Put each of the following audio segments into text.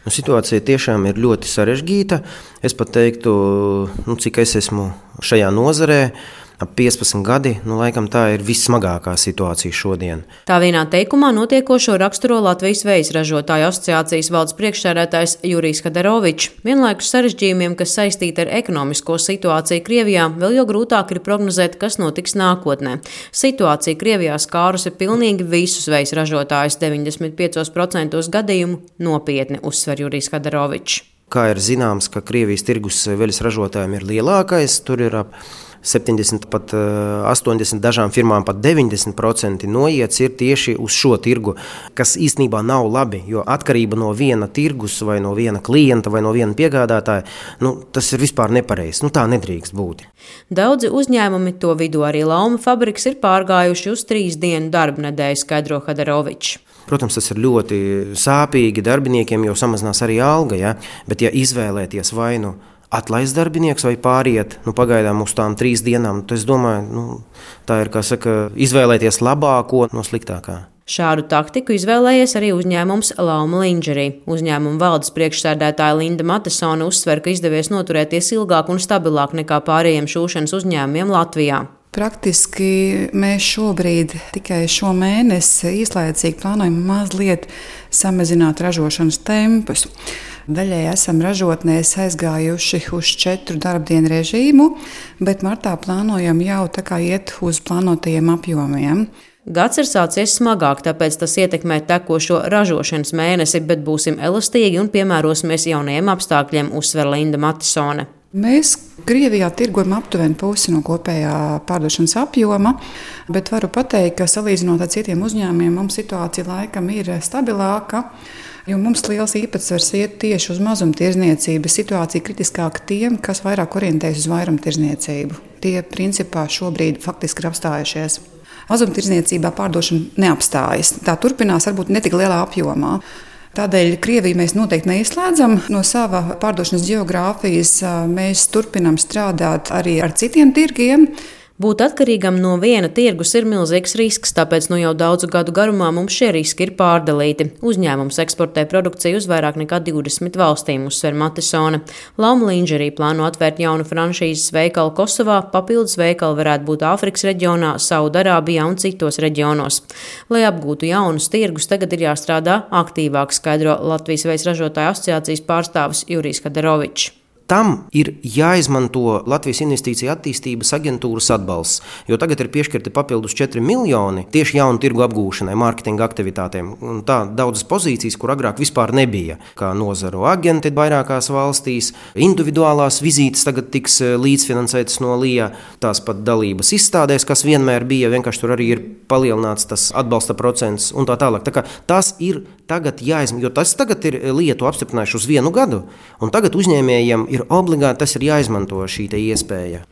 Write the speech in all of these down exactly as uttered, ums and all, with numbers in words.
Nu, situācija tiešām ir ļoti sarežģīta. Es pat teiktu, nu, cik es esmu šajā nozarē, ap piecpadsmit gadi, nu, laikam tā ir vissmagākā situācija šodien. Tā vienā teikumā notiekošo raksturo Latvijas vejas ražotāju asociācijas valdes priekšsēdētājs Jurijs Hadarovičs. Vienlaikus sarežģījumiem, kas saistīti ar ekonomisko situāciju Krievijā, vēl jau grūtāk ir prognozēt, kas notiks nākotnē. Situācija Krievijā skārusi pilnīgi visus vejas ražotājus, deviņdesmit piecos procentos gadījumu nopietni, uzsver Jurijs Hadarovičs. Kā ir zināms, ka Krievijas tirgus veļas ražotājiem ir lielākais, tur ir ap septiņdesmit, pat astoņdesmit, dažām firmām pat deviņdesmit procenti noiets ir tieši uz šo tirgu, kas īstenībā nav labi, jo atkarība no viena tirgus vai no viena klienta vai no viena piegādātāja, nu, tas ir vispār nepareizi, nu, tā nedrīkst būt. Daudzi uzņēmumi, to vidū arī Lauma fabriks, ir pārgājuši uz trīs dienu darba nedēļu, skaidro Hadarovičs. Protams, tas ir ļoti sāpīgi darbiniekiem, jo samazinās arī alga, ja? Bet ja izvēlēties vai nu atlaist darbinieks vai pāriet nu, pagaidām uz tām trīs dienām, tad es domāju, nu, tā ir, kā saka, izvēlēties labāko no sliktākā. Šādu taktiku izvēlējies arī uzņēmums Lauma Lingerie. Uzņēmuma valdes priekšsēdētāja Linda Matesone uzsver, ka izdevies noturēties ilgāk un stabilāk nekā pārējiem šūšanas uzņēmumiem Latvijā. Praktiski mēs šobrīd tikai šo mēnesi īslaicīgi plānojam mazliet samazināt ražošanas tempus. Daļai esam ražotnēs aizgājuši uz četru darbdienu režīmu, bet martā plānojam jau tā kā iet uz plānotajiem apjomiem. Gads ir sācies smagāk, tāpēc tas ietekmē tekošo ražošanas mēnesi, bet būsim elastīgi un piemērosimies jaunajiem apstākļiem, uzsver Linda Matesone. Mēs Krievijā tirgojam aptuveni pusi no kopējā pārdošanas apjoma, bet varu pateikt, ka salīdzinot ar citiem uzņēmumiem, mums situācija laikam ir stabilāka, jo mums liels īpatsvars iet tieši uz mazumtirdzniecību. Situācija kritiskāka tiem, kas vairāk orientējas uz vairumtirdzniecību. Tie principā šobrīd faktiski ir apstājušies. Mazumtirdzniecībā pārdošana neapstājas. Tā turpinās varbūt ne tik lielā apjomā. Tādēļ Krieviju mēs noteikti neizslēdzam no sava pārdošanas geogrāfijas. Mēs turpinām strādāt arī ar citiem tirgiem. Būt atkarīgam no viena tirgus ir milzīgs risks, tāpēc nu jau daudzu gadu garumā mums šie riski ir pārdalīti. Uzņēmums eksportē produkciju uz vairāk nekā divdesmit valstīm, uzsver Matesone. Lauma Lingerie plāno atvērt jaunu franšīzes veikalu Kosovā, papildus veikali varētu būt Āfrikas reģionā, Saudarābijā un citos reģionos. Lai apgūtu jaunus tirgus, tagad ir jāstrādā aktīvāk, skaidro Latvijas vejas ražotāju asociācijas pārstāvis Jurijs Hadarovičs. Tam ir jāizmanto Latvijas Investīcija attīstības aģentūras atbalsts, jo tagad ir piešķirti papildus četri miljoni tieši jaunu tirgu apgūšanai, mārketinga aktivitātēm. Un tā daudzas pozīcijas, kur agrāk vispār nebija, kā nozaru agenti vairākās valstīs, individuālās vizītes tagad tiks līdzfinansētas no L I A, tās pat dalības izstādēs, kas vienmēr bija, vienkārši tur arī ir palielināts tas atbalsta procents un tā tālāk. Tā kā tas ir tagad jāizmanto, jo tas tagad ir lietu apstiprinājuši uz vienu gadu, un tagad uzņēmējiem ir obligāti tas ir jāizmanto šī te iespēja.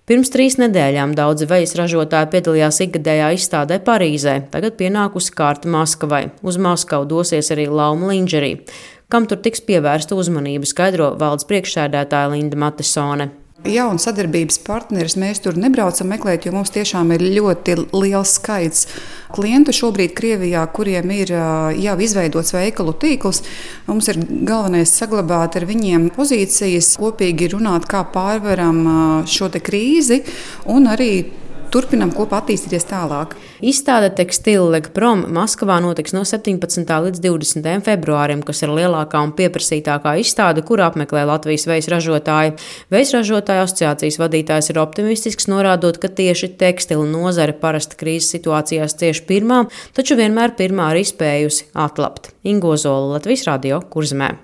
Pirms trīs nedēļām daudzi vejas ražotāji piedalījās ikgadējā izstādē Parīzē. Tagad pienākusi kārta Maskavai. Uz Maskavu dosies arī Lauma Lingerie. Kam tur tiks pievērsta uzmanība, skaidro valdes priekšsēdētāja Linda Matesone. Jaunu sadarbības partneris mēs tur nebraucam meklēt, jo mums tiešām ir ļoti liels skaits klientu šobrīd Krievijā, kuriem ir jau izveidots veikalu tīkls. Mums ir galvenais saglabāt ar viņiem pozīcijas, kopīgi runāt, kā pārvaram šo te krīzi un arī turpinām kopā attīstīties tālāk. Izstāde Tekstila Prom Maskavā notiks no septiņpadsmitā līdz divdesmitajam februārim, kas ir lielākā un pieprasītākā izstāde, kuru apmeklē Latvijas vejas ražotāji. Vejas ražotāju asociācijas vadītājs ir optimistisks, norādot, ka tieši tekstila nozare parasti krīzes situācijās cieš pirmā, taču vienmēr pirmā arī spējusi atlapt. Ingo Zola, Latvijas radio, Kurzemē.